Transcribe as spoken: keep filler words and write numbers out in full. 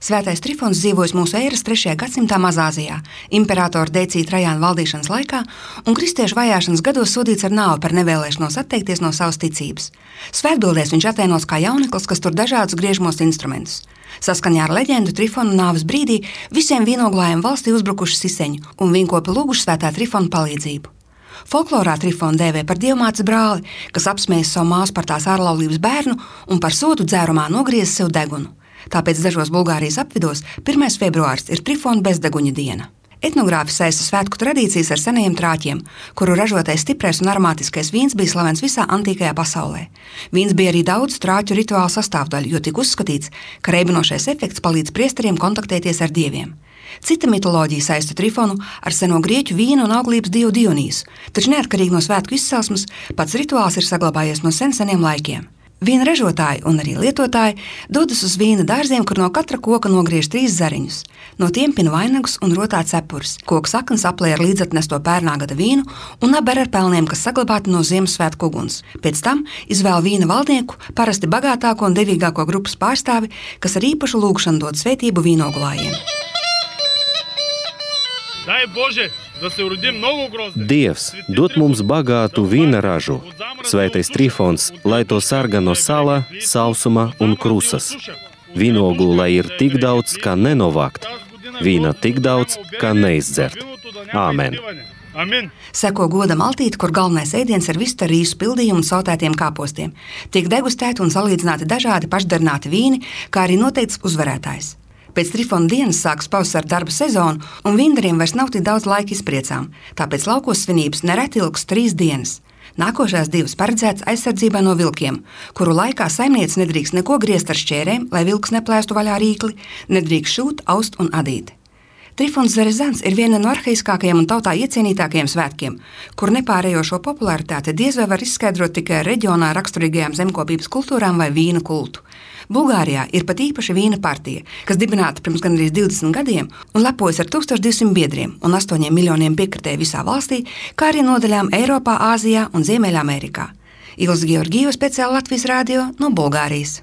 Svētais Trifons dzīvojis mūsu ēras trešajā gadsimtā Mazāzijā, imperatora Decija Trajāna valdīšanas laikā un kristiešu vajāšanas gados sodīts ar nāvi par nevēlēšanos atteikties no savas ticības. Svētbildēs viņš attēlots kā jauneklis, kas tur dažādus griežamos instrumentus. Saskaņā ar leģendu Trifona nāves brīdī visiem vīnoglājiem valstī uzbrukuši siseņi un vīnkopi lūguši Svētā Trifona palīdzību. Folklorā Trifonu dēvē par dievmātes brāli, kas apsmējas savu māsu par tās ārlaulības bērnu un par sodu dzērumā nogriez sev degunu. Tāpēc dažos Bulgārijas apvidos pirmais februāris ir Trifona bezdeguņa diena. Etnogrāfi saista svētku tradīcijas ar senajiem trāķiem, kuru ražotais stiprais un aromātiskais vīns bija slavens visā antīkajā pasaulē. Vīns bija arī daudz trāķu rituālu sastāvdaļu, jo tika uzskatīts, ka reibinošais efekts palīdz priesteriem kontaktēties ar dieviem. Cita mitoloģija saista Trifonu ar seno grieķu vīnu un auglības dievu Dionīsu, taču neatkarīgi no svētku izcelsmes, pats rituāls ir saglabājies no sen seniem laikiem. Vīna ražotāji un arī lietotāji dodas uz vīna dārziem, kur no katra koka nogriež trīs zariņus. No tiem pina vainagus un rotā cepures. Koka saknes aplē ar līdzatnesto pērnā gada vīnu un aber ar pelniem, kas saglabāti no Ziemassvētku uguns. Pēc tam izvēl vīna valdnieku, parasti bagātāko un devīgāko grupas pārstāvi, kas ar īpašu lūgšanu dod svētību vīnoglājiem. Dievs dod mums bagātu vīna ražu. Svētais Trifons, lai to sarga no sala, sausuma un krusas. Vīnogu, lai ir tik daudz, kā nenovākt. Vīna tik daudz, kā neizdzert. Āmen. Seko goda maltīte, kur galvenais ēdiens ir vista rīsu pildījumu un sautētiem kāpostiem. Tiek degustēti un salīdzināti dažādi pašdarināti vīni, kā arī noteikts uzvarētājs. Pēc Trifona dienas sākas pavasara darba sezona, un vīndariem vairs nav tik daudz laika izpriecām, tāpēc laukos svinības nereti ilgs trīs dienas. Nākošās divas paredzētas aizsardzībai no vilkiem, kuru laikā saimniece nedrīkst neko griezt ar šķērēm, lai vilks neplēstu vaļā rīkli, nedrīkst šūt, aust un adīt. Trifons Zerezans ir viena no arhaiskākajiem un tautā iecienītākajiem svētkiem, kur nepārējošo popularitāti diez vai var izskaidrot tikai ar reģionā raksturīgajām zemkopības kultūrām vai vīna kultu. Bulgārijā ir pat īpaša vīna partija, kas dibināta pirms gandrīz divdesmit gadiem un lepojas ar tūkstoš divsimt biedriem un astoņiem miljoniem piekritēju visā valstī, kā arī nodaļām Eiropā, Āzijā un Ziemeļamerikā. Ilze Georgijeva, speciāli Latvijas radio no Bulgārijas.